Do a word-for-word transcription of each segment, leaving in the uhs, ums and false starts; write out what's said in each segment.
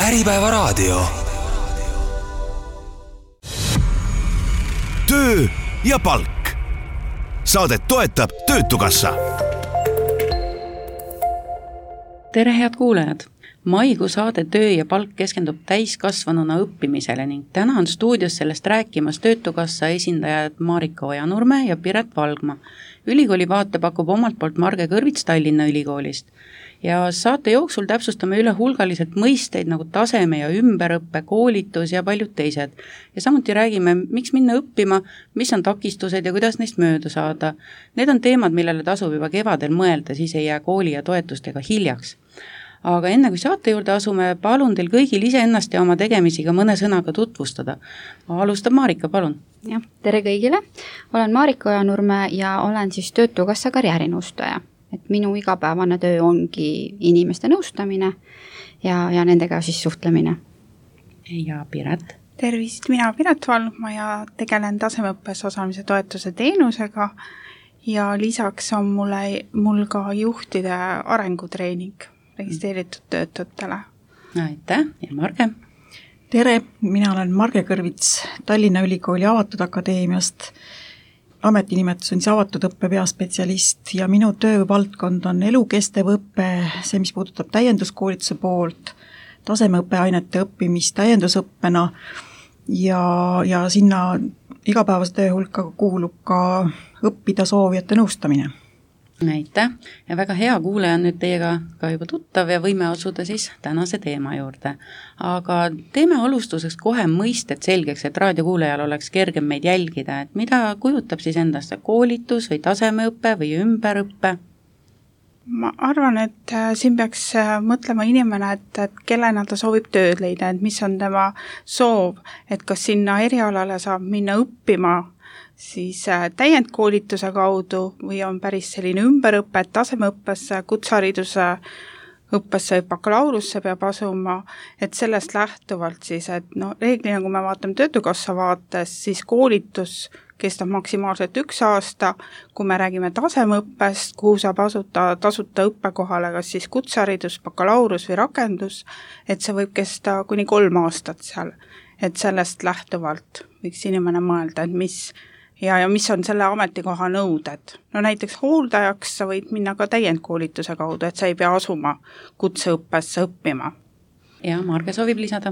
Äripäevaraadio. Töö ja palk. Saadet toetab Töötukassa. Tere head kuulajad! Maikuu saade Töö ja palk keskendub täiskasvanuna õppimisele ning täna on stuudios sellest rääkimas Töötukassa esindajad Marika Ojanurme ja Piret Valgma. Ülikooli vaate pakub omalt poolt Marge Kõrvits Tallinna Ülikoolist. Ja saate jooksul täpsustame üle hulgaliselt mõisteid nagu taseme ja ümberõppe, koolitus ja paljud teised. Ja samuti räägime, miks minna õppima, mis on takistused ja kuidas neist mööda saada. Need on teemad, millele tasub juba kevadel mõelda, siis ei jää kooli ja toetustega hiljaks. Aga enne kui saate juurde asume, palun teil kõigil ise ennast ja oma tegemisiga mõne sõnaga tutvustada. Alustab Marika, palun. Ja, tere kõigile. Olen Marika Ojanurme ja olen siis Töötukassa karjäärinõustaja. Et minu igapäevane töö ongi inimeste nõustamine ja, ja nendega siis suhtlemine. Ja Piret. Tervist, mina Piret Valgma ja tegelen tasemeõppes osalemise toetuse teenusega ja lisaks on mulle, mul ka juhtide arengutreening registreeritud töötutele. Aitäh ja Marge. Tere, mina olen Marge Kõrvits Tallinna Ülikooli Avatud Akadeemiast. Ametinimetus on siis avatud õppe peaspetsialist ja minu töövaldkond on elukestev õppe, see, mis puudutab täienduskoolituse poolt, tasemeõppeainete õppimist täiendusõppena ja, ja sinna igapäevase töö hulka kuulub ka õppida soovijate nõustamine. Aitäh ja väga hea kuuleja on nüüd teiega ka juba tuttav ja võime asuda siis tänase teema juurde. Aga teeme alustuseks kohe mõisted selgeks, et raadiokuulejal oleks kergem meid jälgida, et mida kujutab siis endast koolitus või tasemeõppe või ümberõppe? Ma arvan, et siin peaks mõtlema inimene, et, et kellena ta soovib tööd leida, et mis on tema soov, et kas sinna erialale saab minna õppima siis täiendkoolituse kaudu või on päris selline ümberõpe, et tasemeõppesse, kutsehariduse õppesse või bakalaurusse peab asuma, et sellest lähtuvalt siis, et no reeglina, kui me vaatame Töötukassa vaates, siis koolitus kestab maksimaalselt üks aasta, kui me räägime tasemeõppest, kuhu saab asuta tasuta õppekohale, kas siis kutseharidus, bakalaurus või rakendus, et see võib kesta kuni kolm aastat seal, et sellest lähtuvalt võiks inimene mõelda, et mis Ja, ja mis on selle ametikoha nõuded. No näiteks hooldajaks sa võid minna ka täiendkoolituse kaudu, et sa ei pea asuma kutseõppesse õppima. Ja Marge soovib lisada.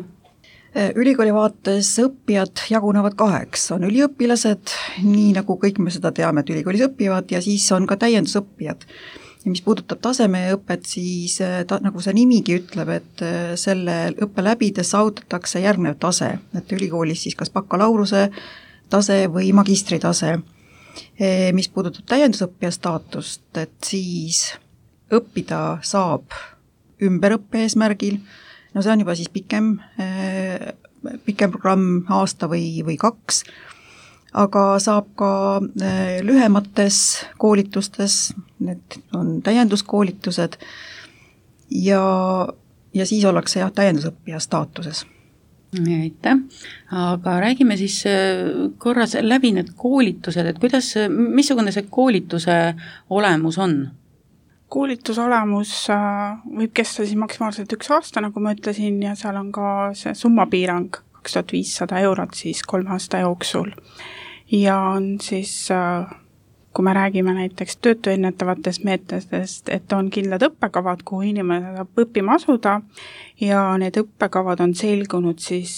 Ülikooli vaates õppijad jagunevad kaheks. On üliõpilased, nii nagu kõik me seda teame, et ülikoolis õppivad ja siis on ka täiendusõppijad. Ja mis puudutab tasemeõpet, siis ta, nagu see nimigi ütleb, et selle õppe läbides saavutatakse järgnev tase, et ülikoolis siis kas bakalauruse tase või magistritase. Mis puudutab täiendusõppija staatust, et siis õppida saab ümberõppe eesmärgil, no see on juba siis pikem, pikem programm aasta või, või kaks, aga saab ka lühemates koolitustes, need on täienduskoolitused ja, ja siis ollakse jah, täiendusõppija staatuses. Aitäh, aga räägime siis korras läbi need koolitused, et kuidas, missugune see koolituse olemus on? Koolituse olemus võib kesta siis maksimaalselt üks aasta, nagu ma ütlesin, ja seal on ka see summapiirang kaks tuhat viissada eurot siis kolme aasta jooksul. Ja on siis, kui me räägime näiteks töötuennetavatest meetodest, et on kindlad õppekavad, kuhu inimene saab õppima asuda ja need õppekavad on selgunud siis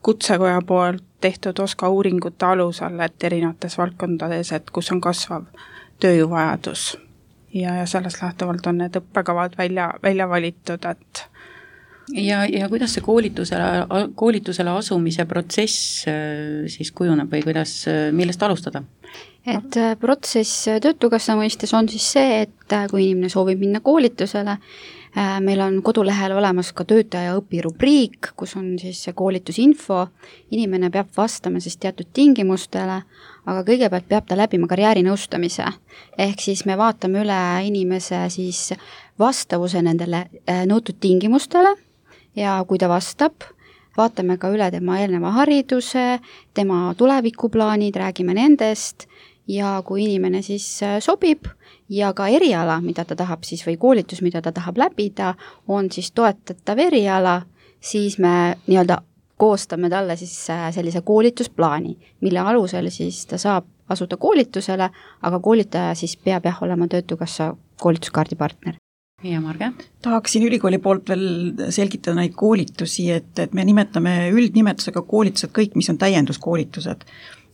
kutsekoja poolt tehtud OSKA uuringute alusel, et erinevates valdkondades, et kus on kasvav tööjõuvajadus. Ja, ja sellest lähtuvalt on need õppekavad välja, välja valitud, et Ja, ja kuidas see koolitusele, koolitusele asumise protsess siis kujuneb või kuidas, millest alustada? Et protsess Töötukassa mõistes on siis see, et kui inimene soovib minna koolitusele, meil on kodulehel olemas ka töötaja õpirubriik, kus on siis see koolitusinfo, inimene peab vastama siis teatud tingimustele, aga kõigepealt peab ta läbima karjäärinõustamise, ehk siis me vaatame üle inimese siis vastavuse nendele nõutud tingimustele ja kui ta vastab, vaatame ka üle tema eelneva hariduse, tema tulevikuplaanid, räägime nendest ja kui inimene siis sobib ja ka eriala, mida ta tahab siis või koolitus, mida ta tahab läbida, on siis toetatav eriala, siis me nii-öelda koostame talle siis sellise koolitusplaani, mille alusel siis ta saab asuda koolitusele, aga koolitaja siis peab jah olema Töötukassa koolituskaardi partner. Ja Marge? Tahaksin ülikooli poolt veel selgitada neid koolitusi, et, et me nimetame üldnimetusega koolitused kõik, mis on täienduskoolitused.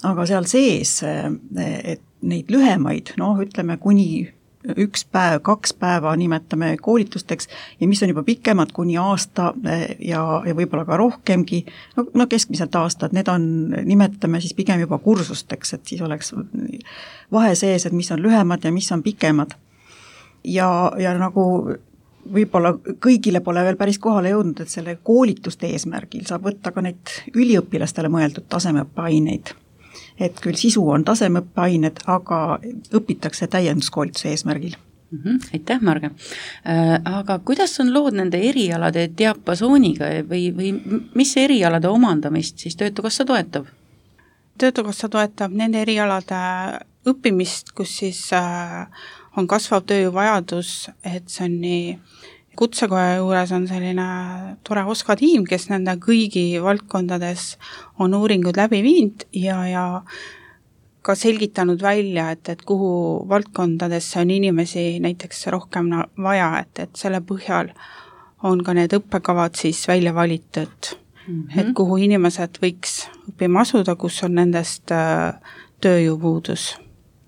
Aga seal sees, et neid lühemaid, noh, ütleme kuni üks päev, kaks päeva nimetame koolitusteks ja mis on juba pikemad kuni aasta ja, ja võib-olla ka rohkemgi, no, no keskmiselt aastad, need on, nimetame siis pigem juba kursusteks, et siis oleks vahe sees, et mis on lühemad ja mis on pikemad. Ja, ja nagu võib-olla kõigile pole veel päris kohale jõudnud, et selle koolituste eesmärgil saab võtta ka neid üliõpilastele mõeldud tasemeõppeaineid. Et küll sisu on tasemeõppeained, aga õpitakse täienduskoolituse eesmärgil. Mm-hmm. Aitäh, Marge. Äh, aga kuidas on lood nende erialade diapasooniga või, või mis erialade omandamist siis Töötukassa toetab? Töötukassa toetab nende erialade õppimist, kus siis äh, on kasvav tööjõuvajadus, et see on nii kutsekoja juures on selline tore Oska tiim, kes nende kõigi valdkondades on uuringud läbi viinud ja, ja ka selgitanud välja, et, et kuhu valdkondadesse on inimesi näiteks rohkem vaja, et, et selle põhjal on ka need õppekavad siis välja valitud, mm-hmm. et kuhu inimesed võiks õppima asuda, kus on nendest äh, tööjõupuudus.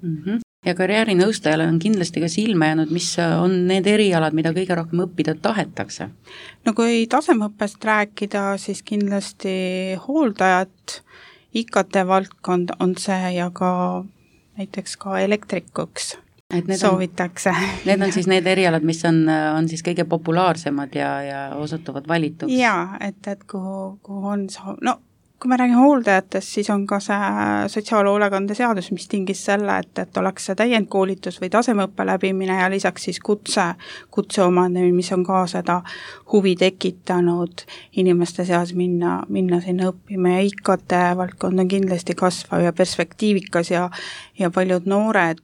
Mm-hmm. Ja karjäärinõustajale on kindlasti ka silma jäänud, mis on need erialad, mida kõige rohkem õppida tahetakse? No kui tasemeõppest rääkida, siis kindlasti hooldajad, I K T valdkond on see ja ka näiteks ka elektrikuks soovitakse. On, need on siis need erialad, mis on, on siis kõige populaarsemad ja, ja osutuvad valituks? Jaa, et, et kuhu, kuhu on soov, no kui me räägime hooldajatest, siis on ka see sotsiaalhoolekande seadus, mis tingis selle, et, et oleks see täiendkoolitus või tasemeõppe läbimine ja lisaks siis kutse, kutse omandamine, mis on ka seda huvi tekitanud inimeste seas minna, minna sinna õppima ja I K T valdkond on kindlasti kasvav ja perspektiivikas ja, ja paljud noored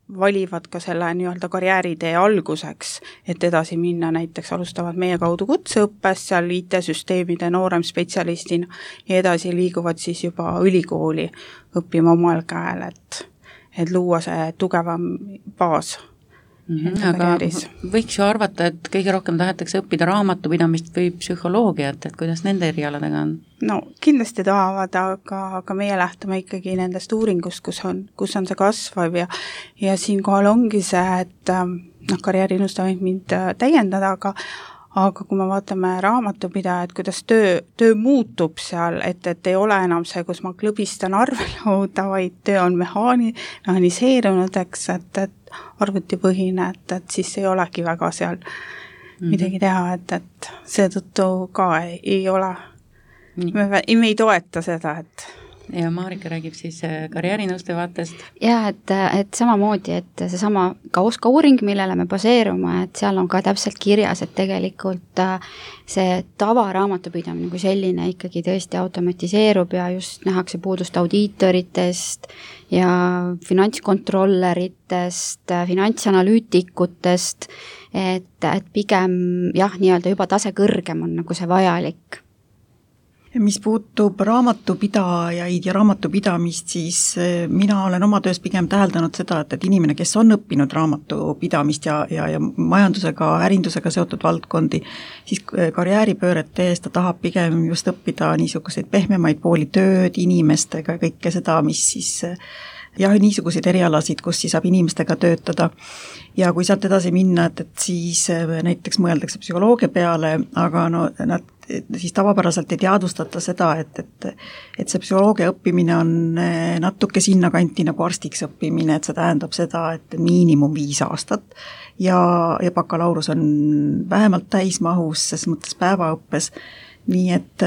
valivad ka selle nii-öelda karjääritee alguseks, et edasi minna, näiteks alustavad meie kaudu kutseõppes seal I T-süsteemide noorem spetsialistina ja edasi liiguvad siis juba ülikooli õppima omal käel, et, et luua see tugevam baas. Mm-hmm, aga võiks ju arvata, et kõige rohkem tahetakse õppida raamatupidamist või psühholoogiat, et kuidas nende erialadega on? No kindlasti tahavad, aga, aga meie lähtume ikkagi nendest uuringust, kus on, kus on see kasvav ja, ja siinkohal ongi see, et noh, karjäärinõustaja võib mind täiendada, aga aga kui me vaatame raamatupidajat, kuidas töö, töö muutub seal, et, et ei ole enam see, kus ma klõbistan arvelauda, vaid töö on mehaani, mehaniseerunud, eks, et, et arvutipõhine, et, et siis ei olegi väga seal mm-hmm. midagi teha, et, et seetõttu ka ei, ei ole, me, me ei toeta seda, et ja Marika räägib siis karjäärinõustaja vaatest. Ja, et, et samamoodi, et seesama ka Oska uuring, millele me baseerume, et seal on ka täpselt kirjas, et tegelikult see tavaraamatupidamine kui selline ikkagi tõesti automatiseerub ja just nähakse puudust audiitoritest ja finantskontrolleritest, finantsanalüütikutest, et, et pigem jah, nii-öelda juba tase kõrgem on nagu see vajalik. Mis puutub raamatupidajaid ja raamatupidamist, siis mina olen oma töös pigem täheldanud seda, et, et inimene, kes on õppinud raamatupidamist ja, ja, ja majandusega, ärindusega seotud valdkondi, siis karjääripööret tees ta tahab pigem just õppida niisuguseid pehmemaid pooli tööd inimestega ja kõike seda, mis siis jah, niisuguseid erialasid, kus siis saab inimestega töötada. Ja kui sealt edasi minna, et, et siis näiteks mõeldakse psühholoogia peale, aga no nad siis tavapäraselt ei teadvustata seda, et, et, et see psühholoogia õppimine on natuke sinna kanti nagu arstiks õppimine, et see tähendab seda, et miinimum viis aastat ja, ja bakalaurus on vähemalt täismahus, ses mõttes päevaõppes. Nii et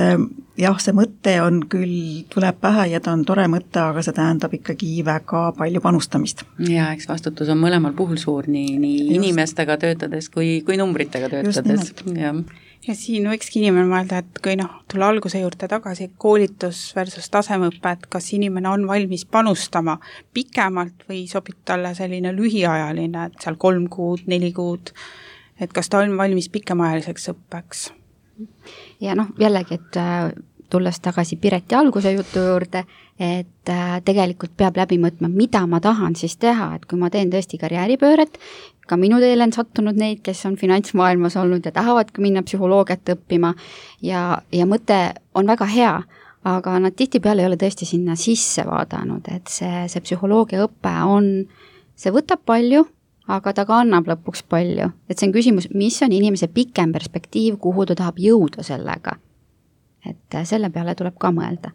jah, see mõte on küll, tuleb pähe ja ta on tore mõte, aga see tähendab ikkagi väga palju panustamist. Ja eks vastutus on mõlemal puhul suur, nii, nii inimestega töötades kui, kui numbritega töötades. Ja. ja siin võikski inimene mõelda, et kui noh, tulla alguse juurde tagasi, koolitus versus tasemeõpe, et kas inimene on valmis panustama pikemalt või sobib talle selline lühiajaline, et seal kolm kuud, neli kuud, et kas ta on valmis pikemaajaliseks õppeks. ja noh, jällegi, et tulles tagasi Pireti alguse jutu juurde, et tegelikult peab läbi mõtma, mida ma tahan siis teha, et kui ma teen tõesti karjääripööret, ka minu teele on sattunud neid, kes on finantsmaailmas olnud ja tahavadki minna psühholoogiat õppima ja, ja mõte on väga hea, aga nad tihtipeale ei ole tõesti sinna sisse vaadanud, et see, see psühholoogia õpe on, see võtab palju, aga ta ka annab lõpuks palju. Et see on küsimus, mis on inimese pikem perspektiiv, kuhu ta tahab jõuda sellega. Et selle peale tuleb ka mõelda.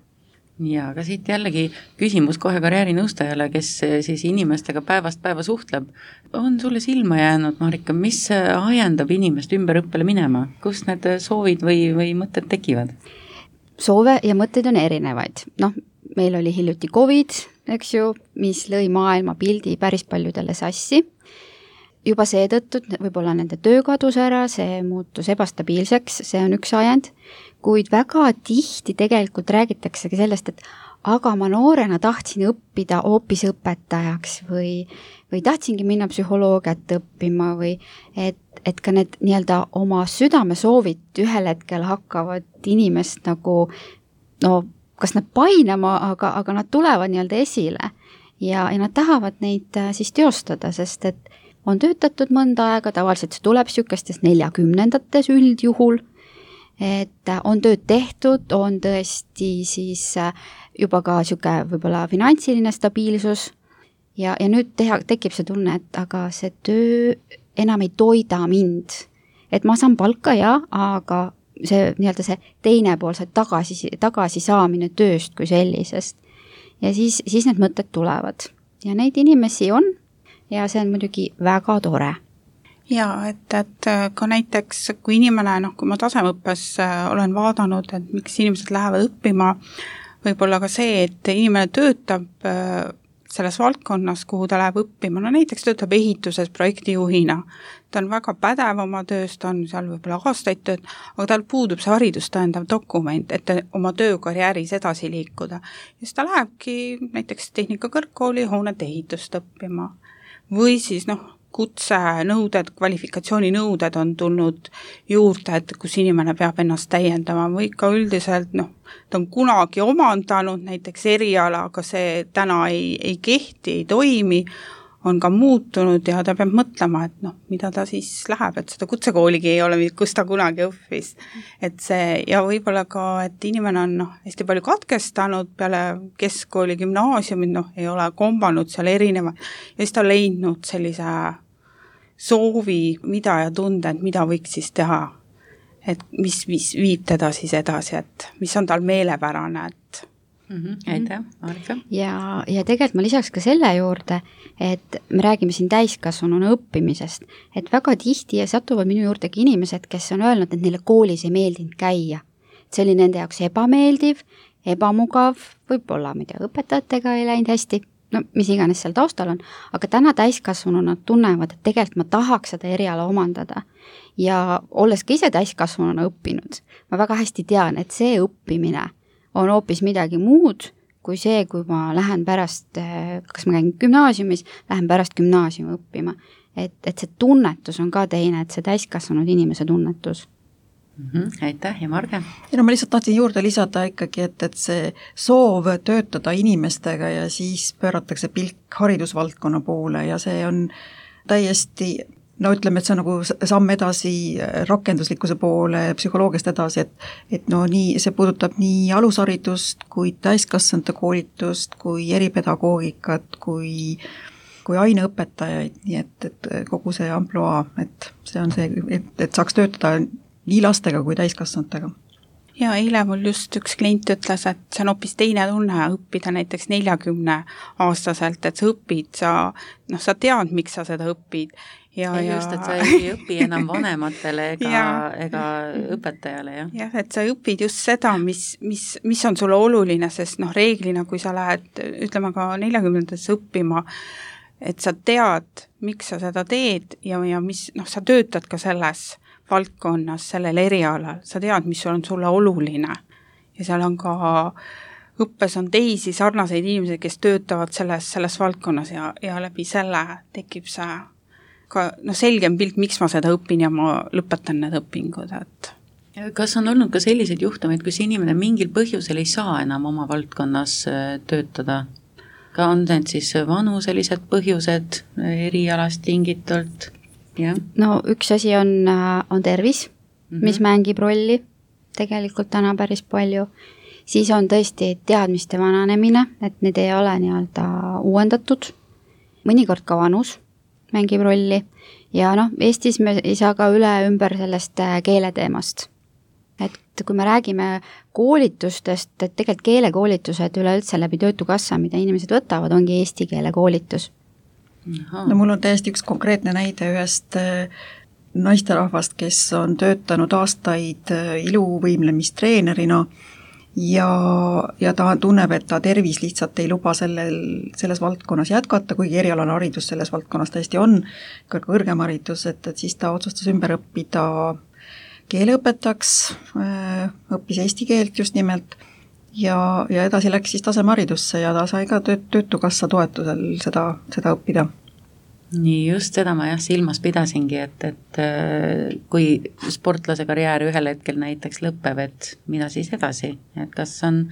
Ja, aga siit jällegi küsimus kohe karjäärinõustajale, kes siis inimestega päevast päeva suhtleb. On sulle silma jäänud, Marika, mis ajendab inimest ümberõppele minema? Kus need soovid või, või mõtted tekivad? Soove ja mõtteid on erinevaid. Noh, meil oli hiljuti COVID, eks ju, mis lõi maailma pildi päris paljudele sassi. Juba seetõttu, võib-olla nende töö kadus ära, see muutus ebastabiilseks, see on üks ajend, kuid väga tihti tegelikult räägitaksegi sellest, et aga ma noorena tahtsin õppida hoopis õpetajaks või, või tahtsingi minna psühholoogiat õppima või et, et ka need nii-öelda oma südamesoovid ühel hetkel hakkavad inimest nagu, no kas nad painama, aga, aga nad tulevad nii-öelda esile ja, ja nad tahavad neid siis teostada, sest et on töötatud mõnda aega, tavaliselt see tuleb niisugustes neljakümnendates üldjuhul, et on tööd tehtud, on tõesti siis juba ka niisugune võib-olla finantsiline stabiilsus ja, ja nüüd teha, tekib see tunne, et aga see töö enam ei toida mind. Et ma saan palka ja, aga see nii-öelda see teine pool, see tagasi, tagasi saamine tööst kui sellisest. Ja siis, siis need mõtted tulevad. Ja neid inimesi on, ja see on muidugi väga tore. Jaa, et, et ka näiteks, kui inimene, noh, kui ma tasemeõppes olen vaadanud, et miks inimesed lähevad õppima, võib-olla ka see, et inimene töötab selles valdkonnas, kuhu ta läheb õppima, no näiteks töötab ehituses projektijuhina, ta on väga pädev oma töös, ta on seal võib-olla aastaid tööd, aga tal puudub see haridust tõendav dokument, et oma töökarjääris edasi liikuda. Ja siis ta lähebki näiteks tehnikakõrgkooli hoonete ehitust õppima. Või siis noh, kutsenõuded, kvalifikatsiooninõuded on tulnud juurde, et kus inimene peab ennast täiendama või ka üldiselt, noh, ta on kunagi omandanud näiteks eriala, aga see täna ei, ei kehti, ei toimi, on ka muutunud ja ta peab mõtlema, et noh, mida ta siis läheb, et seda kutsekooligi ei ole, kus ta kunagi õppis. Et see, ja võib-olla ka, et inimene on noh, hästi palju katkestanud peale keskkooli, gümnaasiumid, noh, ei ole kombanud seal erineva ja siis ta on leidnud sellise soovi, mida ja tunde, et mida võiks siis teha, et mis, mis viib teda siis edasi, et mis on tal meelepärane, et Mm-hmm. Aitäh, Marika. Ja, ja tegelikult ma lisaks ka selle juurde, et me räägime siin täiskasvanuna õppimisest, et väga tihti satuvad minu juurdegi inimesed, kes on öelnud, et neile koolis ei meeldinud käia. See oli nende jaoks ebameeldiv, ebamugav, võib-olla, ma ei tea, õpetajatega ei läinud hästi, no mis iganes seal taustal on, aga täna täiskasvanuna nad tunnevad, et tegelikult ma tahaks seda eriala omandada. Ja olles ka ise täiskasvanuna õppinud, ma väga hästi tean, et see õppimine on hoopis midagi muud kui see, kui ma lähen pärast, kas ma käin gümnaasiumis, lähen pärast gümnaasiumi õppima. Et, et see tunnetus on ka teine, et see täiskasvanud inimese tunnetus. Mm-hmm. Aitäh ja Marge? Ja no ma lihtsalt tahtsin juurde lisada ikkagi, et, et see soov töötada inimestega ja siis pööratakse pilk haridusvaldkonna poole ja see on täiesti no ütleme, et see on nagu samm edasi rakenduslikkuse poole, psühholoogiast edasi, et, et no nii, see puudutab nii alusharidust kui täiskasvanute koolitust, kui eripedagoogikat, kui, kui aineõpetajaid, nii et, et kogu see amploa, et see on see, et, et saaks töötada nii lastega kui täiskasvanutega. Ja eile mul just üks klient ütles, et see on hoopis teine tunne õppida näiteks neljakümne aastaselt, et sa õpid, sa, noh, sa tead, miks sa seda õpid. Ja, ja just, et sa ei õpi enam vanematele ega, ja, ega õpetajale. Jah, ja, et sa õpid just seda, mis, mis, mis on sulle oluline, sest noh, reeglina, kui sa lähed, ütleme ka neljakümnendates õppima, et sa tead, miks sa seda teed ja, ja mis, noh, sa töötad ka selles valdkonnas, sellel erialal, sa tead, mis on sulle oluline ja seal on ka õppes on teisi sarnaseid inimesi, kes töötavad selles, selles valdkonnas ja, ja läbi selle tekib see ka no, selgem pilt, miks ma seda õpin ja ma lõpetan need õpingud, et Kas on olnud ka selliseid juhtumeid, kus inimene mingil põhjusel ei saa enam oma valdkonnas töötada? Ka on need siis vanuselised põhjused erialast tingitult? Ja. No üks asi on, on tervis, mm-hmm. mis mängib rolli tegelikult täna päris palju. Siis on tõesti teadmiste vananemine, et need ei ole nii-öelda uuendatud. Mõnikord ka vanus mängib rolli. Ja noh, Eestis me ei saa ka üle ümber sellest keeleteemast. Et kui me räägime koolitustest, et tegelikult keelekoolitused üleüldse läbi Töötukassa, mida inimesed võtavad, ongi eesti keele koolitus. No mul on täiesti üks konkreetne näide ühest naisterahvast, kes on töötanud aastaid iluvõimlemistreenerina ja, ja ta tunneb, et ta tervis lihtsalt ei luba sellel, selles valdkonnas jätkata, kuigi erialane haridus selles valdkonnas tõesti on ka kõrgem haridus, et, et siis ta otsustas ümber õppida keeleõpetaks, õppis eesti keelt just nimelt ja, ja edasi läks siis tasemeharidusse ja ta sai ka tööt, Töötukassa toetusel seda, seda õppida. Nii, just seda ma jah silmas pidasingi, et, et kui sportlase karjäär ühel hetkel näiteks lõpeb, et mida siis edasi, et kas on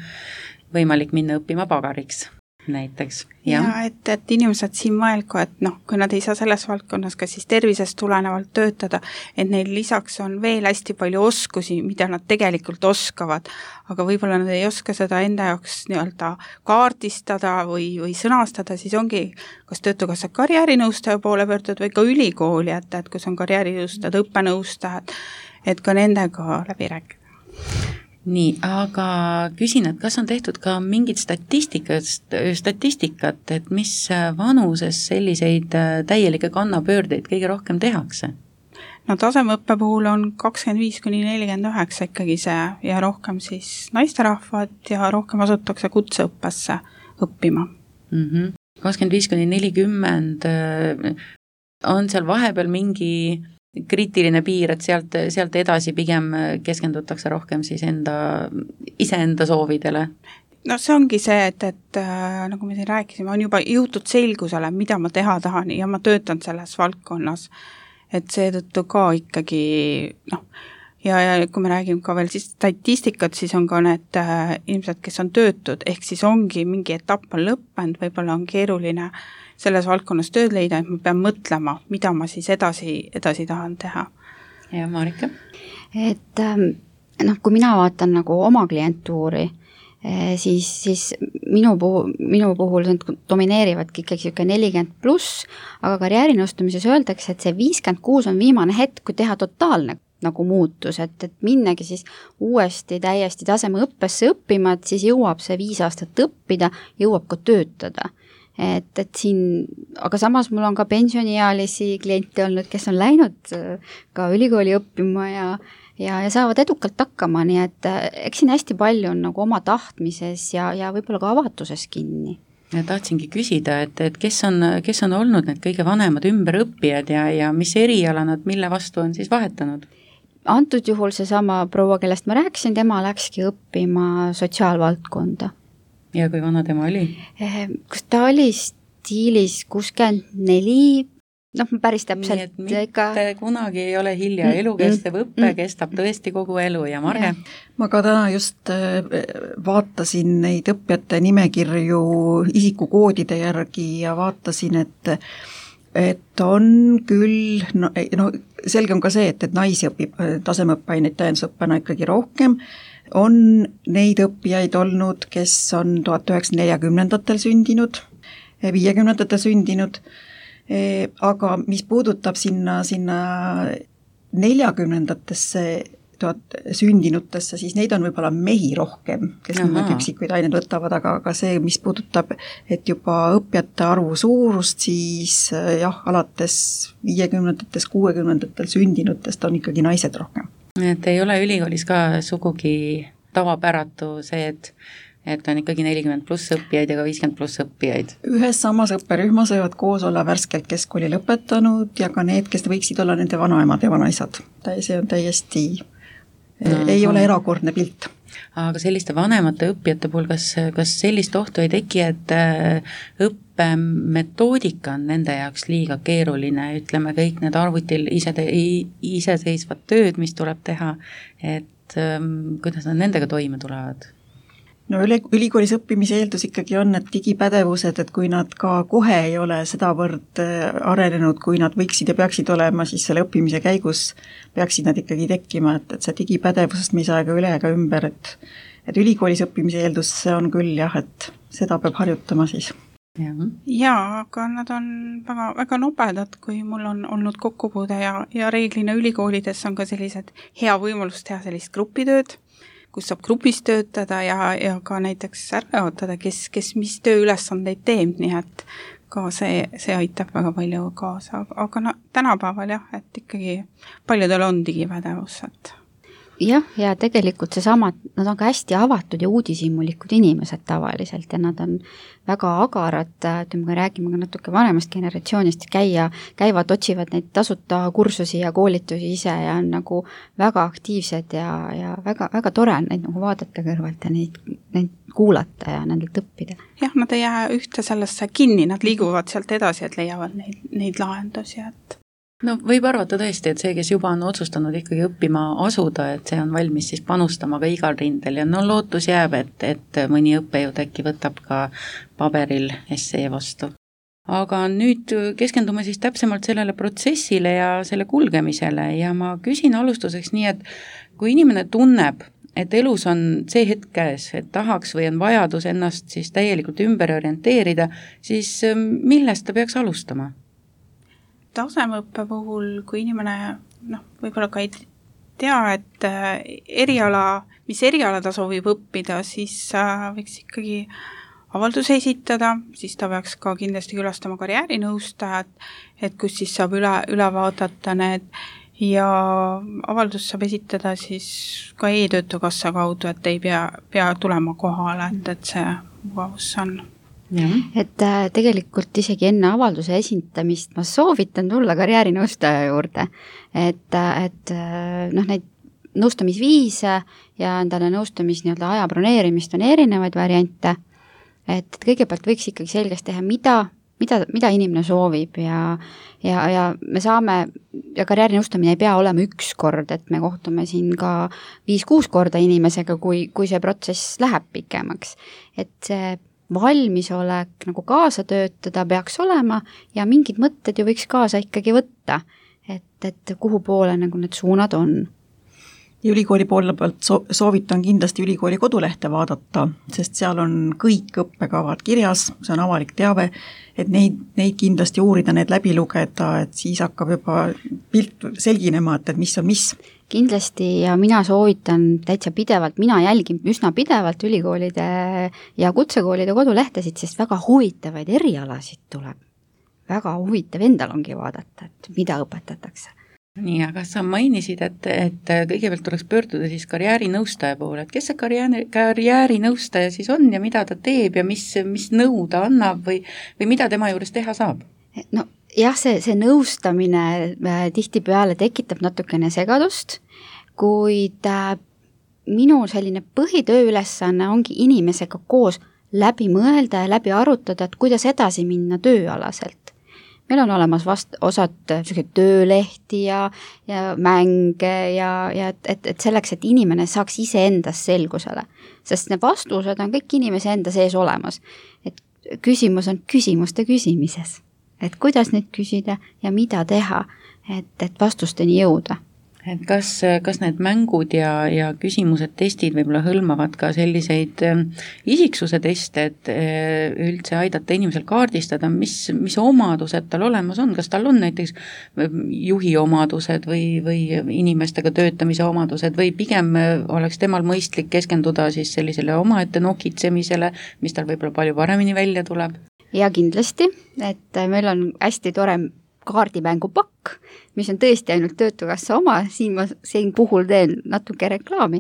võimalik minna õppima pagariks näiteks. Ja, ja et, et inimesed siin mõelgu, et noh, kui nad ei saa selles valdkonnas ka siis tervisest tulenevalt töötada, et neil lisaks on veel hästi palju oskusi, mida nad tegelikult oskavad, aga võib-olla nad ei oska seda enda jaoks nii-öelda kaardistada või, või sõnastada, siis ongi kas Töötukassa karjäärinõustaja poole pöördud või ka ülikooli, et, et kus on karjäärinõustajad, õppenõustajad, et ka nendega läbi rääkida. Nii, aga küsin, et kas on tehtud ka mingit statistikat, statistikat, et mis vanuses selliseid täielikke kannapöördeid kõige rohkem tehakse? No tasemeõppe puhul on kakskümmend viis kuni nelikümmend üheksa ikkagi see ja rohkem siis naisterahvad ja rohkem asutakse kutseõppesse õppima. Mm-hmm. kakskümmend viis kuni nelikümmend on seal vahepeal mingi kriitiline piir, et sealt, sealt edasi pigem keskendutakse rohkem siis enda, iseenda soovidele? No see ongi see, et, et nagu me siin rääkisime, on juba jõutud selgusele, mida ma teha tahan ja ma töötan selles valdkonnas. Et seetõttu ka ikkagi, noh, ja, ja kui me räägime ka veel siis statistikat, siis on ka need äh, inimesed, kes on töötud, ehk siis ongi mingi etapp on lõppenud, võib-olla on keeruline selles valdkonnas tööd leida, et ma pean mõtlema, mida ma siis edasi, edasi tahan teha. Ja Marika? Et noh, kui mina vaatan nagu oma klientuuri, siis, siis minu puhul, minu puhul domineerivadki ikkagi siuke nelikümmend pluss, aga karjäärinõustamises öeldakse, et see viiskümmend kuus on viimane hetk, kui teha totaalne nagu muutus, et, et minnagi siis uuesti täiesti tasemeõppesse õppima, et siis jõuab see viis aastat õppida, jõuab ka töötada. Et, et siin, aga samas mul on ka pensioniealisi kliente olnud, kes on läinud ka ülikooli õppima ja, ja, ja saavad edukalt hakkama, nii et eks siin hästi palju on nagu oma tahtmises ja, ja võib-olla ka avatuses kinni. Ja tahtsingi küsida, et, et kes on, kes on olnud need kõige vanemad ümberõppijad ja, ja mis eriala nad mille vastu on siis vahetanud? Antud juhul seesama proua, kellest ma rääkisin, tema läkski õppima sotsiaalvaldkonda. Ja kui vana tema oli? Kus ta oli stiilis kuuskümmend neli, noh päris täpselt. Nii et mitte ega... kunagi ei ole hilja, elukestev õppe mm. kestab tõesti kogu elu ja Marge? Ma ka täna just vaatasin neid õppijate nimekirju isikukoodide järgi ja vaatasin, et et on küll, no, no selge on ka see, et, et naisi õpib tasemeõppeaineid täiendusõppena ikkagi rohkem, on neid õppijaid olnud, kes on tuhat üheksasada neljakümnendatel sündinud, viiekümnendatel sündinud, aga mis puudutab sinna, sinna neljakümnendatesse tuhat sündinutesse, siis neid on võib-olla mehi rohkem, kes nimelt üksikuid aineid võtavad, aga, aga see, mis puudutab, et juba õppijate arvu suurust, siis jah, alates viiekümnendates, kuuekümnendatel sündinutest on ikkagi naised rohkem. Et ei ole ülikoolis ka sugugi tavapäratu see, et et on ikkagi nelikümmend pluss õppijaid ja ka viiskümmend pluss õppijaid. Ühes samas õpperühmas võivad koos olla värskelt keskkooli lõpetanud ja ka need, kes võiksid olla nende vanaemad ja vanaisad. See on täiesti, no, ei ole erakordne pilt. Aga selliste vanemate õppijate puhul, kas, kas sellist ohtu ei teki, et õppemetoodika on nende jaoks liiga keeruline, ütleme kõik need arvutil ise, iseseisvad tööd, mis tuleb teha, et et ähm, kuidas nad nendega toime tulevad? no üli, ülikoolis õppimise eeldus ikkagi on, et digipädevused, et kui nad ka kohe ei ole sedavõrd arenenud, kui nad võiksid ja peaksid olema, siis selle õppimise käigus peaksid nad ikkagi tekkima, et, et see digipädevusest me ei saa ega üle ega ümber, et et ülikoolis õppimise eeldus see on küll jah, et seda peab harjutama siis. Ja. Jaa, aga nad on väga, väga nobedad, kui mul on olnud kokkupuude ja, ja reeglina ülikoolides on ka sellised hea võimalus teha sellist grupitööd, kus saab grupis töötada ja, ja ka näiteks ära jaotada, kes, kes mis tööülesandeid teeb, nii et ka see, see aitab väga palju kaasa, aga no, tänapäeval jah, et ikkagi paljudel on digipädevus, et jah, ja tegelikult seesama, nad on ka hästi avatud ja uudishimulikud inimesed tavaliselt ja nad on väga agarad, ütleme, kui räägime ka natuke vanemast generatsioonist, käia, käivad, otsivad neid tasuta kursusi ja koolitusi ise ja on nagu väga aktiivsed ja, ja väga, väga tore on neid nagu vaadata kõrvalt ja neid, neid kuulata ja nendelt õppida. Jah, nad ei jää ühte sellesse kinni, nad liiguvad sealt edasi, et leiavad neid, neid lahendusi, et no võib arvata tõesti, et see, kes juba on otsustanud ikkagi õppima asuda, et see on valmis siis panustama ka igal rindel ja no lootus jääb, et, et mõni õppejõud äkki võtab ka paberil essee vastu. Aga nüüd keskendume siis täpsemalt sellele protsessile ja selle kulgemisele ja ma küsin alustuseks nii, et kui inimene tunneb, et elus on see hetk käes, et tahaks või on vajadus ennast siis täielikult ümber orienteerida, siis millest ta peaks alustama? Tasemeõppe puhul, kui inimene noh, võib-olla ka ei tea, et eriala, mis eriala ta soovib õppida, siis võiks ikkagi avalduse esitada, siis ta peaks ka kindlasti külastama karjäärinõustajad, et kus siis saab üle, üle vaadata need ja avaldus saab esitada siis ka e-töötukassa kaudu, et ei pea, pea tulema kohale, et, et see mugavus on. Ja. Et äh, tegelikult isegi enne avalduse esitamist ma soovitan tulla karjäärinõustaja juurde, et, et äh, noh, neid nõustamisviise ja endale nõustamis nii-öelda aja broneerimist on erinevaid variante, et kõigepealt võiks ikkagi selgeks teha, mida, mida, mida inimene soovib ja, ja, ja me saame, ja karjäärinõustamine ei pea olema üks kord, et me kohtume siin ka viis-kuus korda inimesega, kui, kui see protsess läheb pikemaks, et see valmisolek nagu kaasa töötada peaks olema ja mingid mõtted ju võiks kaasa ikkagi võtta, et, et kuhu poole nagu need suunad on. Ja ülikooli poole pealt soovitan kindlasti ülikooli kodulehte vaadata, sest seal on kõik õppekavad kirjas, see on avalik teave, et neid, neid kindlasti uurida, need läbi lugeda, et siis hakkab juba pilt selginema, et, et mis on mis. Kindlasti ja mina soovitan täitsa pidevalt, mina jälgin üsna pidevalt ülikoolide ja kutsekoolide kodulehtesid, sest väga huvitavaid erialasid tuleb. Väga huvitav endal ongi vaadata, et mida õpetatakse. Nii, aga sa mainisid, et, et kõigepealt tuleks pöörduda siis karjäärinõustaja poole, et kes see karjääri, karjäärinõustaja siis on ja mida ta teeb ja mis, mis nõu ta annab või, või mida tema juures teha saab? No jah, see, see nõustamine tihtipeale tekitab natukene segadust, kuid minu selline põhitööülesanne ongi inimesega koos läbi mõelda ja läbi arutada, et kuidas edasi minna tööalaselt. Meil on olemas vast osad töölehti ja, ja mänge ja, ja et, et selleks, et inimene saaks ise endas selgusele, sest need vastused on kõik inimese enda sees olemas. Et küsimus on küsimuste küsimises, et kuidas neid küsida ja mida teha, et, et vastusteni jõuda. Et kas, kas need mängud ja, ja küsimused, testid võib-olla hõlmavad ka selliseid isiksuse teste, et üldse aidata inimesel kaardistada, mis, mis omadused tal olemas on, kas tal on näiteks juhi omadused või, või inimestega töötamise omadused või pigem oleks temal mõistlik keskenduda siis sellisele omaette nokitsemisele, mis tal võib-olla palju paremini välja tuleb? Ja kindlasti, et meil on hästi tore kaardimängupakk, mis on tõesti ainult Töötukassa oma, siin ma siin puhul teen natuke reklaami,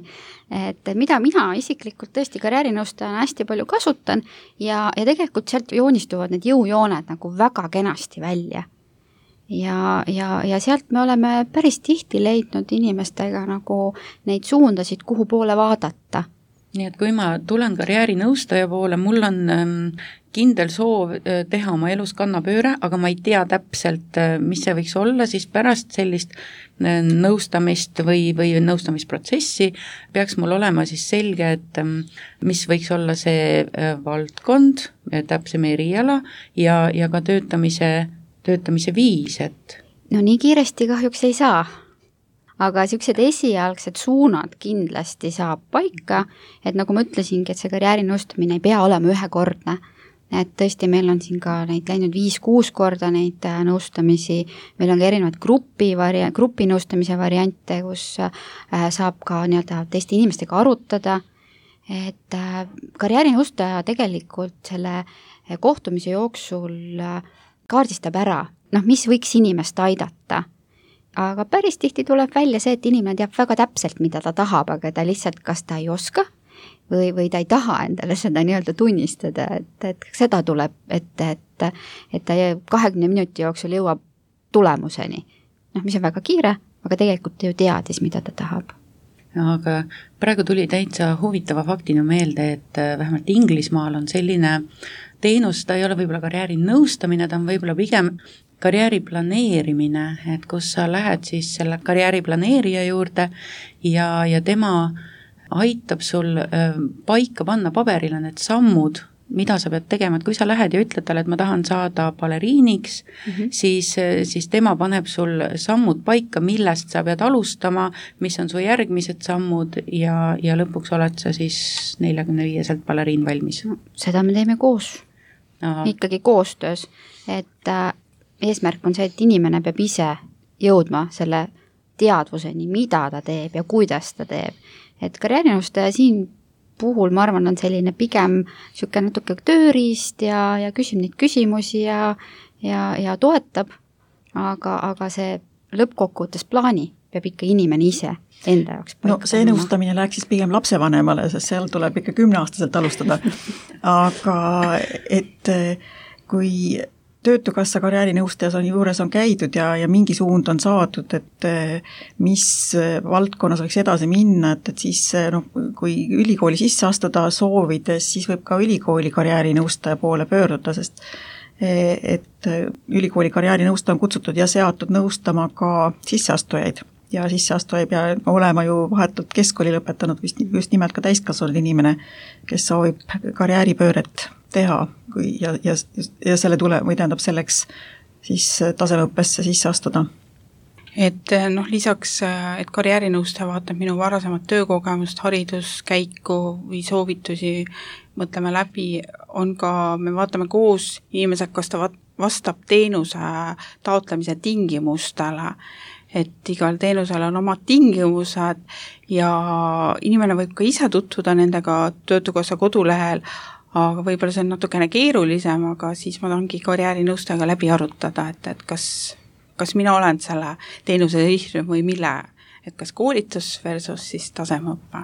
et mida mina isiklikult tõesti karjäärinõustajana hästi palju kasutan ja, ja tegelikult sealt joonistuvad need jõujooned nagu väga kenasti välja. Ja, ja, ja sealt me oleme päris tihti leidnud inimestega nagu neid suundasid, kuhu poole vaadata. Nii et kui ma tulen karjäärinõustaja poole, mul on ähm, kindel soov teha oma elus kannapööre, aga ma ei tea täpselt, mis see võiks olla, siis pärast sellist nõustamist või, või nõustamisprotsessi peaks mul olema siis selge, et mis võiks olla see valdkond, täpsem eriala ja, ja ka töötamise, töötamise viis, et no nii kiiresti kahjuks ei saa, aga niisugused esialgsed suunad kindlasti saab paika, et nagu ma ütlesingi, et see karjäärinõustamine ei pea olema ühekordne, et tõesti meil on siin ka neid läinud viis-kuus korda neid nõustamisi, meil on ka erinevad grupi, varia-, grupi nõustamise variante, kus saab ka nii-öelda teiste inimestega arutada, et karjäärinõustaja tegelikult selle kohtumise jooksul kaardistab ära, noh, mis võiks inimest aidata. Aga päris tihti tuleb välja see, et inimene teab väga täpselt, mida ta tahab, aga ta lihtsalt, kas ta ei oska või, või ta ei taha endale seda nii-öelda tunnistada, et, et seda tuleb ette, et, et ta kahekümne minuti jooksul jõuab tulemuseni. Noh, mis on väga kiire, aga tegelikult ta ju teadis, mida ta tahab. Aga praegu tuli täitsa huvitava faktina meelde, et vähemalt Inglismaal on selline teenus, ta ei ole võib-olla karjääri nõustamine, ta on võib-olla pigem karjääri planeerimine, et kus sa lähed siis selle karjääri planeerija juurde ja, ja tema aitab sul paika panna paberile need sammud, mida sa pead tegema, et kui sa lähed ja ütled talle, et ma tahan saada baleriiniks, mm-hmm. siis, siis tema paneb sul sammud paika, millest sa pead alustama, mis on su järgmised sammud ja, ja lõpuks oled sa siis neljakümne viieselt baleriin valmis. No, seda me teeme koos, Aha. ikkagi koostöös, et äh, eesmärk on see, et inimene peab ise jõudma selle teadvuseni, mida ta teeb ja kuidas ta teeb. Et karjäärinõustaja siin puhul, ma arvan, on selline pigem siuke natuke tööriist ja, ja küsib neid küsimusi ja, ja, ja toetab, aga, aga see lõppkokkuvõttes plaani peab ikka inimene ise enda jaoks paika. No see nõustamine läheks siis pigem lapsevanemale, sest seal tuleb ikka kümneaastaselt alustada. Aga et kui Töötukassa karjäärinõustajas on juures on käidud ja, ja mingi suund on saadud, et mis valdkonnas võiks edasi minna, et, et siis no, kui ülikooli sisse astuda soovides, siis võib ka ülikooli karjäärinõustaja poole pöörduda, sest et ülikooli karjäärinõustaja on kutsutud ja seatud nõustama ka sisseastujaid. Ja sisseastuja ei pea olema ju vahetult keskkooli lõpetanud, just nimelt ka täiskasvanud inimene, kes soovib karjääripööret teha kui, ja, ja, ja selle tule, või tähendab selleks siis tasemeõppesse sisse astuda. Et noh, lisaks, et karjäärinõustaja vaatab minu varasemat töökogemust, hariduskäiku või soovitusi, mõtleme läbi, on ka, me vaatame koos inimesed, kas ta vastab teenuse taotlemise tingimustele, et igal teenusel on omad tingimused ja inimene võib ka ise tutvuda nendega Töötukassa kodulehel, aga võib-olla see on natukene keerulisem, aga siis ma tahangi karjäärinõustajaga läbi arutada, et, et kas, kas mina olen selle teenuse sihtrühm või mille, et kas koolitus versus siis tasemeõppe.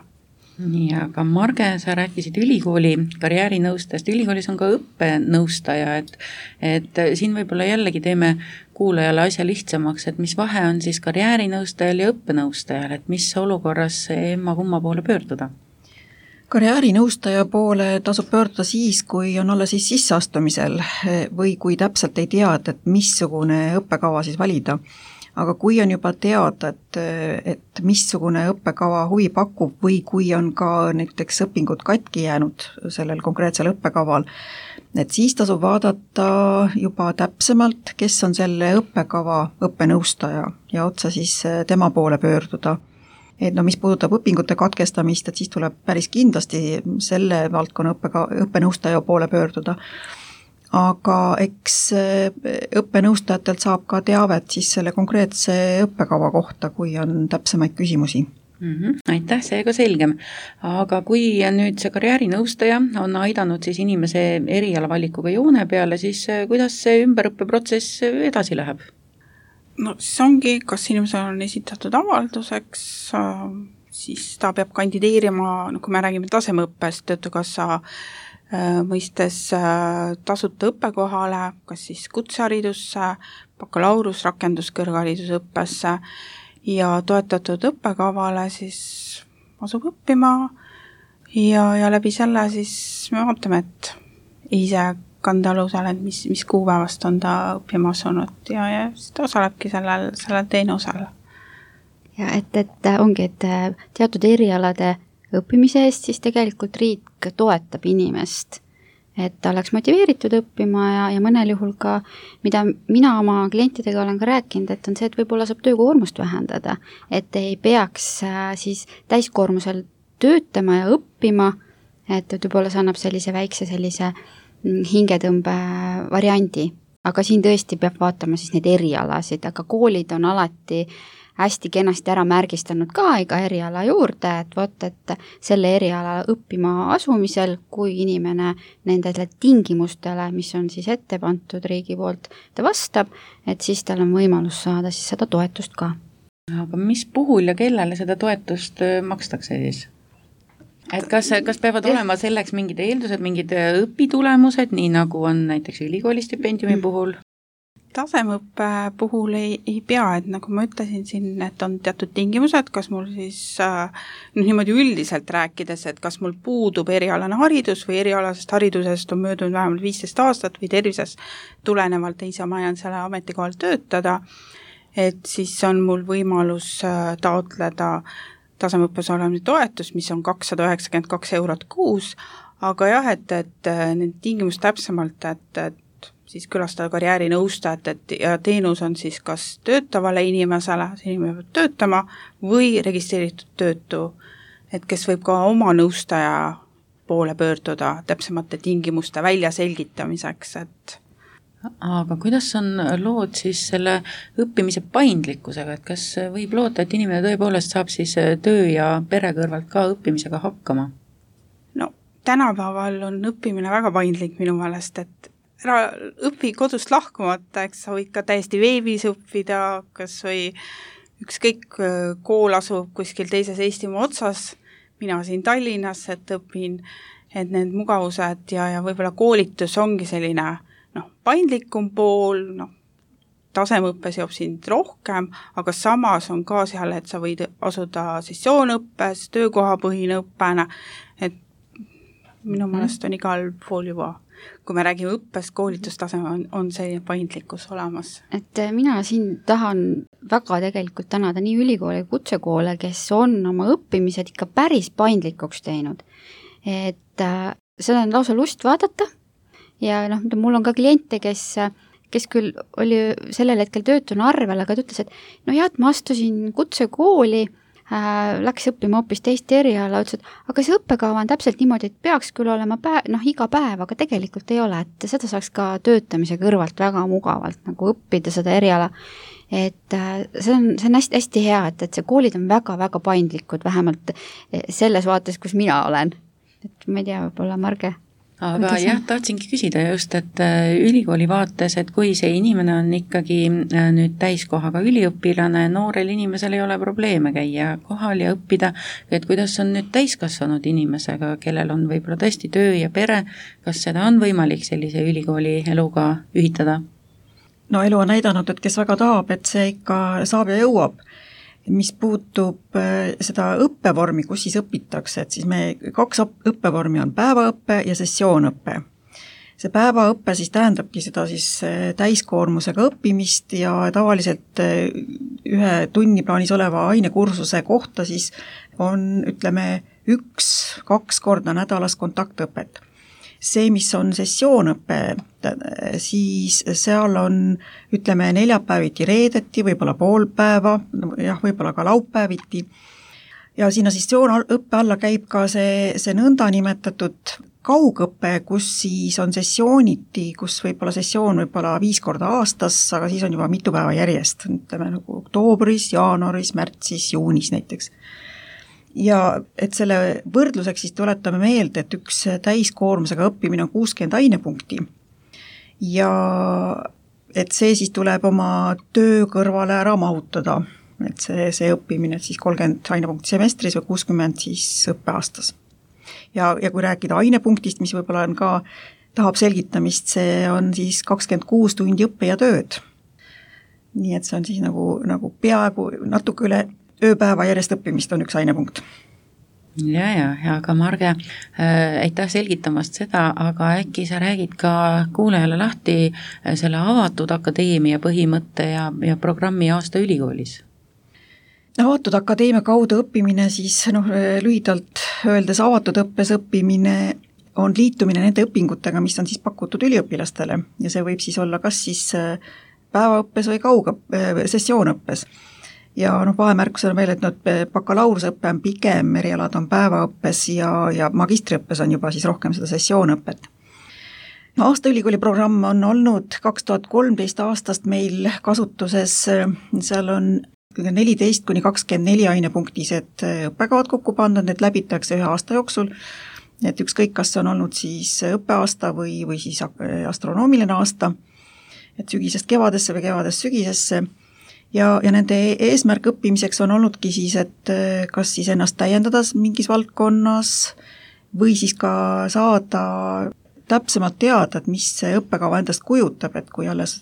Nii, aga Marge, sa rääkisid ülikooli karjäärinõustajast, ülikoolis on ka õppenõustaja, et, et siin võib-olla jällegi teeme kuulajale asja lihtsamaks, et mis vahe on siis karjäärinõustajal ja õppenõustajal, et mis olukorras emma kumma poole pöörduda? Karjäärinõustaja poole tasub pöörduda siis, kui on olla siis sisseastumisel või kui täpselt ei teada, et missugune õppekava siis valida. Aga kui on juba teada, et, et missugune õppekava huvi pakub või kui on ka näiteks õpingud katki jäänud sellel konkreetsel õppekaval, et siis tasub vaadata juba täpsemalt, kes on selle õppekava õppenõustaja ja otsa siis tema poole pöörduda. Et no mis puudutab õpingute katkestamist, et siis tuleb päris kindlasti selle valdkonna õppeka, õppenõustaja poole pöörduda. Aga eks õppenõustajatelt saab ka teavet siis selle konkreetse õppekava kohta, kui on täpsemaid küsimusi. Mm-hmm. Aitäh, see ka selgem. Aga kui nüüd see karjäärinõustaja on aidanud siis inimese erialavalikuga joone peale, siis kuidas see ümberõppeprotsess edasi läheb? No siis ongi, kas inimesel on esitatud avalduseks, siis ta peab kandideerima, no kui me räägime tasemeõppest, Töötukassa mõistes tasuta õppekohale, kas siis kutseharidusse, bakalaureus, rakenduskõrgharidusõppesse ja toetatud õppekavale siis asub õppima ja, ja läbi selle siis me vaatame, et ise kandealusel, et mis, mis kuupäevast on ta õppima asunud ja, ja siis ta osalebki sellel, sellel teenusel. Ja et, et ongi, et teatud erialade õppimise eest siis tegelikult riik toetab inimest, et ta oleks motiveeritud õppima ja, ja mõnel juhul ka, mida mina oma klientidega olen ka rääkinud, et on see, et võib-olla saab töökoormust vähendada, et ei peaks siis täiskoormusel töötama ja õppima, et võib-olla see annab sellise väikse sellise hingetõmbe variandi, aga siin tõesti peab vaatama siis neid erialasid, aga koolid on alati hästi kenasti ära märgistanud ka iga eriala juurde, et vot, et selle eriala õppima asumisel, kui inimene nendele tingimustele, mis on siis ette pantud riigi poolt, ta vastab, et siis tal on võimalus saada siis seda toetust ka. Aga mis puhul ja kellele seda toetust makstakse siis? Et kas, kas peavad olema selleks mingid eeldused, mingid õpitulemused, nii nagu on näiteks ülikooli stipendiumi puhul? Tasemeõppe puhul ei, ei pea, et nagu ma ütlesin siin, et on teatud tingimused, kas mul siis äh, niimoodi üldiselt rääkides, et kas mul puudub erialane haridus või erialasest haridusest on möödunud vähemalt viisteist aastat või tervisest tulenevalt ei saa ma jään selle ametikohal töötada, et siis on mul võimalus äh, taotleda tasemeõppes olemise toetus, mis on kakssada üheksakümmend kaks eurot kuus, aga jah, et, et need tingimus täpsemalt, et, et siis külastada karjäärinõustajat, et ja teenus on siis kas töötavale inimesele, see inimene peab töötama, või registreeritud töötu, et kes võib ka oma nõustaja poole pöörduda täpsemate tingimuste väljaselgitamiseks, et aga kuidas on lood siis selle õppimise paindlikkusega, et kas võib loota, et inimene tõepoolest saab siis töö ja pere kõrvalt ka õppimisega hakkama? No tänapäeval on õppimine väga paindlik minu meelest, et ära õpi kodust lahkumata, eks sa võid ka täiesti veebis õppida, kas või ükskõik kool asub kuskil teises Eestimaa otsas, mina siin Tallinnas, et õpin, et need mugavused ja, ja võib-olla koolitus ongi selline noh, paindlikum pool, noh, tasemeõppe seob sind rohkem, aga samas on ka seal, et sa võid asuda sessioonõppes, töökohapõhine õppena, et minu meelest on igal pool juba, kui me räägime õppest, koolitustaseme on, on selline paindlikkus olemas. Et mina siin tahan väga tegelikult tänada nii ülikooli kutsekoole, kes on oma õppimised ikka päris paindlikuks teinud. Et äh, seda on lausa lust vaadata, ja noh, mul on ka kliente, kes, kes küll oli sellel hetkel töötuna arvel, aga ta ütles, et no jah, et ma astusin kutsekooli, äh, läks õppima hoopis teist eriala, ütles, et aga see õppekava on täpselt niimoodi, et peaks küll olema päev, noh, iga päev, aga tegelikult ei ole, et seda saaks ka töötamise kõrvalt väga mugavalt nagu õppida seda eriala. Et äh, see on, see on hästi, hästi hea, et, et see koolid on väga-väga paindlikud, vähemalt selles vaates, kus mina olen. Et ma ei tea, võib-olla Marge. Aga jah, tahtsingi küsida just, et ülikooli vaates, et kui see inimene on ikkagi nüüd täiskohaga üliõpilane, noorel inimesel ei ole probleeme käia kohal ja õppida, et kuidas on nüüd täiskasvanud inimesega, kellel on võib-olla tõesti töö ja pere, kas seda on võimalik sellise ülikooli eluga ühitada? No elu on näidanud, et kes väga tahab, et see ikka saab ja jõuab. Mis puutub seda õppevormi, kus siis õpitakse, et siis me kaks õppevormi on päevaõppe ja sessioonõppe. See päevaõppe siis tähendabki seda siis täiskoormusega õppimist ja tavaliselt ühe tunniplaanis oleva ainekursuse kohta siis on, ütleme, üks, kaks korda nädalas kontaktõpet. See, mis on sessioonõppe, siis seal on, ütleme, neljapäeviti reedeti, võib-olla pool päeva, jah, võib-olla ka laupäeviti. Ja sinna sessioonõppe alla käib ka see, see nõnda nimetatud kaugõppe, kus siis on sessiooniti, kus võib-olla sessioon võib-olla viis korda aastas, aga siis on juba mitu päeva järjest, ütleme nagu oktoobris, jaanuaris, märtsis, juunis näiteks. Ja et selle võrdluseks siis tuletame meelde, et üks täiskoormusega õppimine on kuuskümmend ainepunkti ja et see siis tuleb oma töö kõrvale ära mahutada, et see, see õppimine siis kolmkümmend ainepunkti semestris või kuuskümmend siis õppeaastas. Ja, ja kui rääkida ainepunktist, mis võib-olla on ka, tahab selgitamist, see on siis kakskümmend kuus tundi õppe ja tööd. Nii et see on siis nagu, nagu peaaegu natuke üle ööpäeva järjest õppimist on üks ainepunkt. ja, ja, ja aga Marge äh,, aitäh selgitamast seda, aga äkki sa räägid ka kuulajale lahti selle avatud akadeemia põhimõtte ja, ja programmi aasta ülikoolis? Avatud akadeemia kaudu õppimine siis noh, lühidalt öeldes avatud õppes õppimine on liitumine nende õpingutega, mis on siis pakutud üliõpilastele ja see võib siis olla kas siis päevaõppes või kauga sessioonõppes. Ja noh, vahemärkus on veel, et noh, bakalaureusõppe on pigem, erialad on päevaõppes ja, ja magistriõppes on juba siis rohkem seda sessioonõpet. No, aasta ülikooli programm on olnud kaks tuhat kolmteist aastast meil kasutuses, seal on neliteist kuni kakskümmend neli ainepunktised õppekavad kokku pandud, need läbitakse ühe aasta jooksul, et ükskõik, kas on olnud siis õppeaasta või, või siis astronoomiline aasta, et sügisest kevadesse või kevadest sügisesse. Ja, ja nende eesmärk õppimiseks on olnudki siis, et kas siis ennast täiendada mingis valdkonnas või siis ka saada täpsemalt teada, et mis see õppekava endast kujutab, et kui alles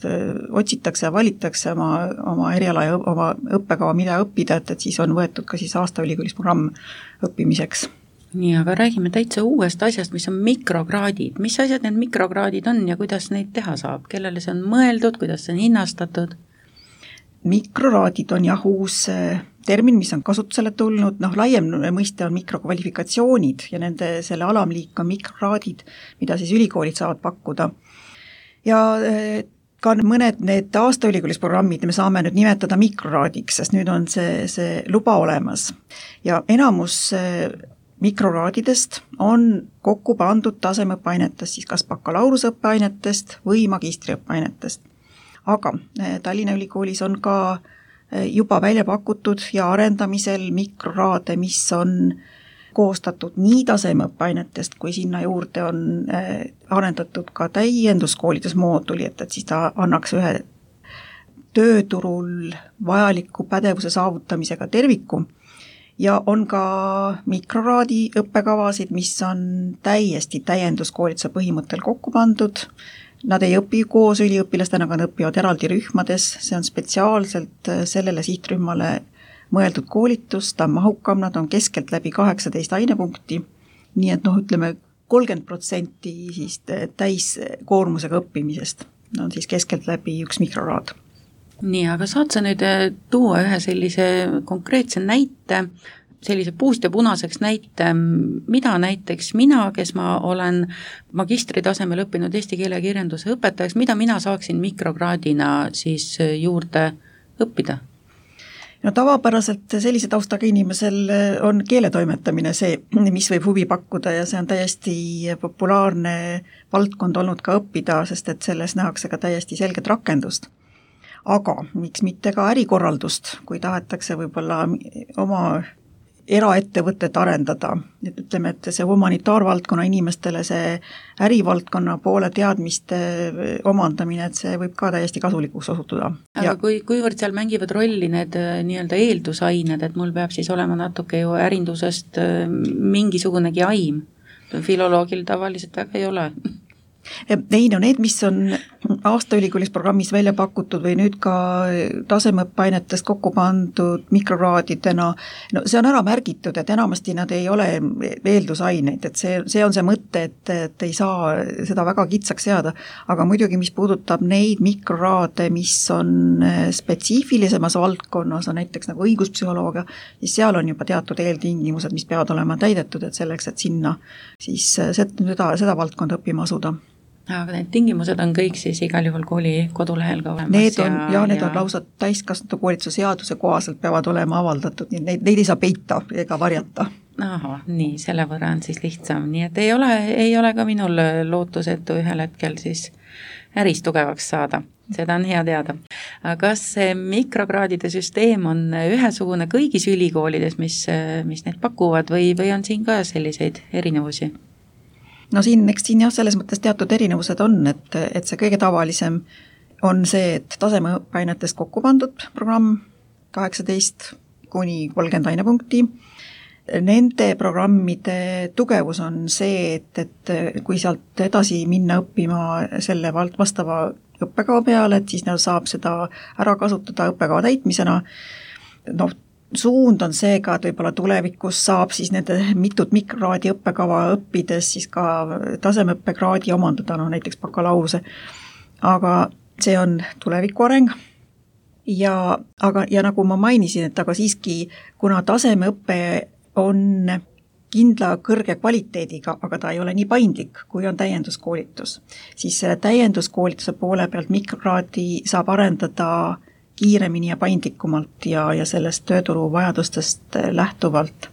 otsitakse ja valitakse oma, oma eriala ja oma õppekava, mida õppida, et, et siis on võetud ka siis aasta ülikoolis programm õppimiseks. Nii, aga räägime täitsa uuest asjast, mis on mikrokraadid. Mis asjad need mikrokraadid on ja kuidas neid teha saab? Kellele see on mõeldud, kuidas see on hinnastatud? Mikroraadid on jah uus termin, mis on kasutusele tulnud, noh laiem mõiste on mikrokvalifikatsioonid ja nende selle alamliik on mikroraadid, mida siis ülikoolid saavad pakkuda. Ja ka mõned need aasta ülikoolis programmid me saame nüüd nimetada mikroraadiks, sest nüüd on see, see luba olemas. Ja enamus mikroraadidest on kokku pandud tasemeõppeainetest, siis kas bakalaureusõppeainetest või magistriõppeainetest. Aga Tallinna Ülikoolis on ka juba välja pakutud ja arendamisel mikroraade, mis on koostatud nii tasemeõppeainetest, kui sinna juurde on arendatud ka täienduskoolitusmooduli, et, et siis ta annaks ühe tööturul vajaliku pädevuse saavutamisega terviku. Ja on ka mikroraadi õppekavasid, mis on täiesti täienduskoolituse põhimõttel kokku pandud. Nad ei õpi koos üliõpilastena, aga nad õpivad eraldi rühmades, see on spetsiaalselt sellele sihtrühmale mõeldud koolitus, ta on mahukam, nad on keskelt läbi kaheksateist ainepunkti, nii et noh, ütleme kolmkümmend protsenti siis täiskoormusega õppimisest on siis keskelt läbi üks mikroraad. Nii, aga saad sa nüüd tuua ühe sellise konkreetse näite, sellise puust ja punaseks näite, mida näiteks mina, kes ma olen magistri tasemel õppinud eesti keele ja kirjanduse õpetajaks, mida mina saaksin mikrokraadina siis juurde õppida? No tavapäraselt sellise taustaga inimesel on keeletoimetamine see, mis võib huvi pakkuda ja see on täiesti populaarne valdkond olnud ka õppida, sest et selles nähakse ka täiesti selget rakendust. Aga miks mitte ka ärikorraldust, kui tahetakse võib-olla oma eraettevõtet arendada, et ütleme, et see humanitaarvaldkonna inimestele see ärivaldkonna poole teadmiste omandamine, et see võib ka täiesti kasulikuks osutuda. Aga ja kui, kuivõrd seal mängivad rolli need nii-öelda eeldusained, et mul peab siis olema natuke ju ärindusest mingisugunegi aim, filoloogil tavaliselt väga ei ole. Ei, no need, mis on aasta ülikoolis programmis välja pakutud või nüüd ka tasemeõppeainetest kokku pandud mikroraadidena, no see on ära märgitud, et enamasti nad ei ole eeldusaineid, et see, see on see mõte, et, et ei saa seda väga kitsaks seada, aga muidugi, mis puudutab neid mikroraade, mis on spetsiifilisemas valdkonnas, on näiteks nagu õiguspsühholoogia, siis seal on juba teatud eeltingimused, mis peavad olema täidetud, et selleks, et sinna siis seda, seda valdkonda õppima asuda. Aga need tingimused on kõik siis igal juhul kooli kodulehel ka olemas. Need on, ja, ja need ja... on lausa täiskasvanute koolituse seaduse kohaselt peavad olema avaldatud, nii neid, neid ei saa peita ega varjata. Aha, nii, selle võrra on siis lihtsam, nii et ei ole, ei ole ka minul lootusetu ühel hetkel siis äris tugevaks saada. Seda on hea teada. Kas see mikrokraadide süsteem on ühesugune kõigis ülikoolides, mis, mis neid pakuvad või, või on siin ka selliseid erinevusi? No siin, eks siin jah, selles mõttes teatud erinevused on, et, et see kõige tavalisem on see, et tasemeõppeainetest kokku pandud programm kaheksateist kuni kolmkümmend ainepunkti. Nende programmide tugevus on see, et, et kui sealt edasi minna õppima selle vastava õppekava peale, et siis saab seda ära kasutada õppekava täitmisena. Noh, suund on see ka, et võib-olla tulevikus saab siis nende mitut mikrokraadi õppekava õppides siis ka tasemeõppekraadi omandada, no näiteks bakalaureuse, aga see on tuleviku areng ja, aga, ja nagu ma mainisin, et aga siiski, kuna tasemeõpe on kindla kõrge kvaliteediga, aga ta ei ole nii paindlik, kui on täienduskoolitus, siis selle täienduskoolituse poole pealt mikrokraadi saab arendada kiiremini ja paindlikumalt ja, ja sellest tööturu vajadustest lähtuvalt.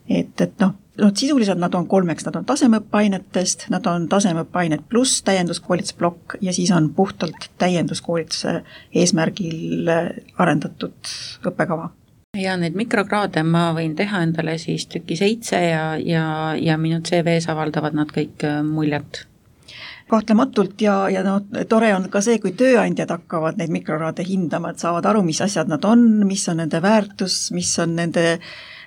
Et, et noh, noh, sisuliselt nad on kolmeks, nad on tasemeõppeainetest, nad on tasemeõppeainet pluss täienduskoolitusblokk ja siis on puhtalt täienduskoolituse eesmärgil arendatud õppekava. Ja need mikrokraade ma võin teha endale siis tüki seitse ja, ja, ja minu C V-s avaldavad nad kõik muljet. Kahtlematult ja, ja no, tore on ka see, kui tööandjad hakkavad neid mikrokraade hindama, et saavad aru, mis asjad nad on, mis on nende väärtus, mis on nende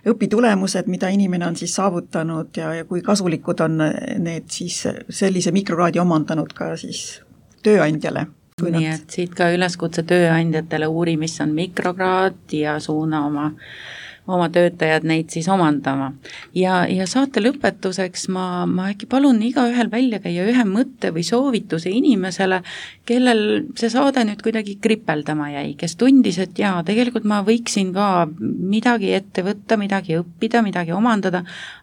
õpitulemused, mida inimene on siis saavutanud ja, ja kui kasulikud on need siis sellise mikrokraadi omandanud ka siis tööandjale. Nii et siit ka üleskutse tööandjatele uuri, mis on mikrokraad ja suuna oma, oma töötajad neid siis omandama. Ja, ja saate lõpetuseks ma, ma äkki palun iga ühel välja käia ühe mõtte või soovituse inimesele, kellel see saade nüüd kuidagi kripeldama jäi, kes tundis, et jaa, tegelikult ma võiksin ka midagi ette võtta, midagi õppida, midagi omandada,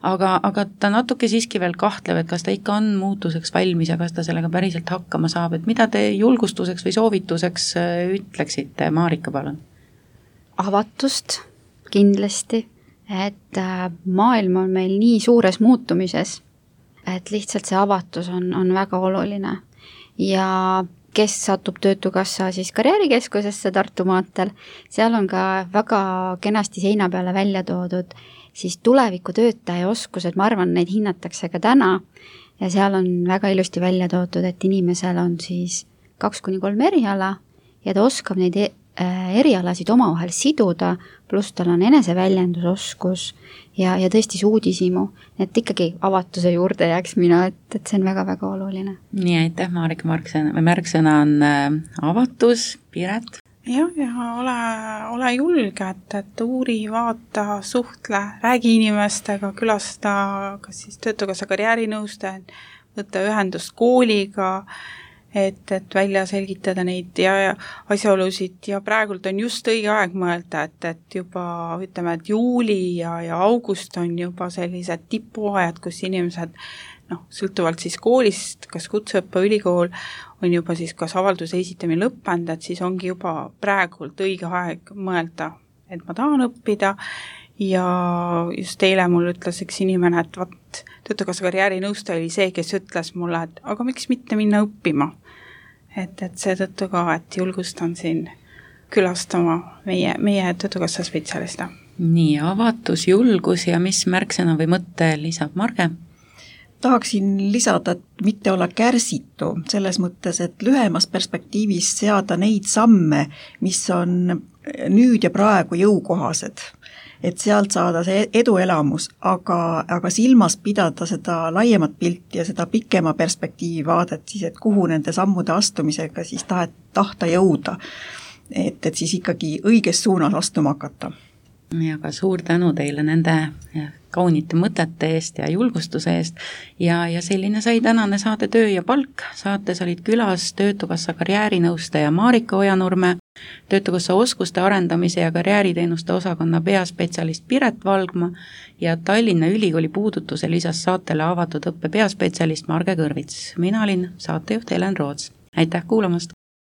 aga, aga ta natuke siiski veel kahtleb, et kas ta ikka on muutuseks valmis ja kas ta sellega päriselt hakkama saab, et mida te julgustuseks või soovituseks ütleksite, Maarika, palun? Avatust kindlasti, et maailm on meil nii suures muutumises, et lihtsalt see avatus on, on väga oluline ja kes satub Töötukassa siis karjäärikeskusesse Tartu maantel, seal on ka väga kenasti seina peale välja toodud siis tuleviku töötaja oskused, ma arvan, neid hinnatakse ka täna ja seal on väga ilusti välja toodud, et inimesel on siis kaks kuni kolm eriala ja ta oskab neid erialasid omavahel siduda, pluss tal on eneseväljendusoskus ja, ja tõesti uudishimu, et ikkagi avatuse juurde jääks mina, et, et see on väga-väga oluline. Nii, aitäh, Maarika, Marksõna, märksõna on äh, avatus, Piret? Jah, ja ole, ole julge, et, et uuri, vaata, suhtle, räägi inimestega, külasta kas siis Töötukassa karjäärinõustajad, võtta ühendust kooliga, et, et välja selgitada neid ja, ja asjaolusid ja praegult on just õige aeg mõelda, et, et juba ütleme, et juuli ja, ja august on juba sellised tipuajad, kus inimesed noh, sõltuvalt siis koolist, kas kutseõppe ülikool on juba siis kas avalduse esitamine lõppenud, et siis ongi juba praegult õige aeg mõelda, et ma tahan õppida ja just eile mul ütles üks inimene, et vat, Töötukassa karjäärinõustaja oli see, kes ütles mulle, et aga miks mitte minna õppima. Et, et seetõttu ka, et julgustan siin külastama meie, meie Töötukassa spetsialiste. Nii, avatus, julgus ja mis märksõna või mõtte lisab Marge? Tahaksin lisada, et mitte olla kärsitu selles mõttes, et lühemas perspektiivis seada neid samme, mis on nüüd ja praegu jõukohased. Et sealt saada see eduelamus, aga, aga silmas pidada seda laiemat pilti ja seda pikema perspektiivi vaadet, siis et kuhu nende sammude astumisega siis tahet, tahta jõuda, et, et siis ikkagi õiges suunas astuma hakata. Ja ka suur tänu teile nende kaunite mõtete eest ja julgustuse eest ja, ja selline sai tänane saade Töö ja palk. Saates olid külas Töötukassa karjäärinõustaja Maarika Ojanurme, Töötukassa oskuste arendamise ja karjääriteenuste osakonna peaspetsialist Piret Valgma ja Tallinna Ülikooli puudutuse lisas saatele avatud õppe peaspetsialist Marge Kõrvits. Mina olin saatejuht Helen Roots. Aitäh kuulamast!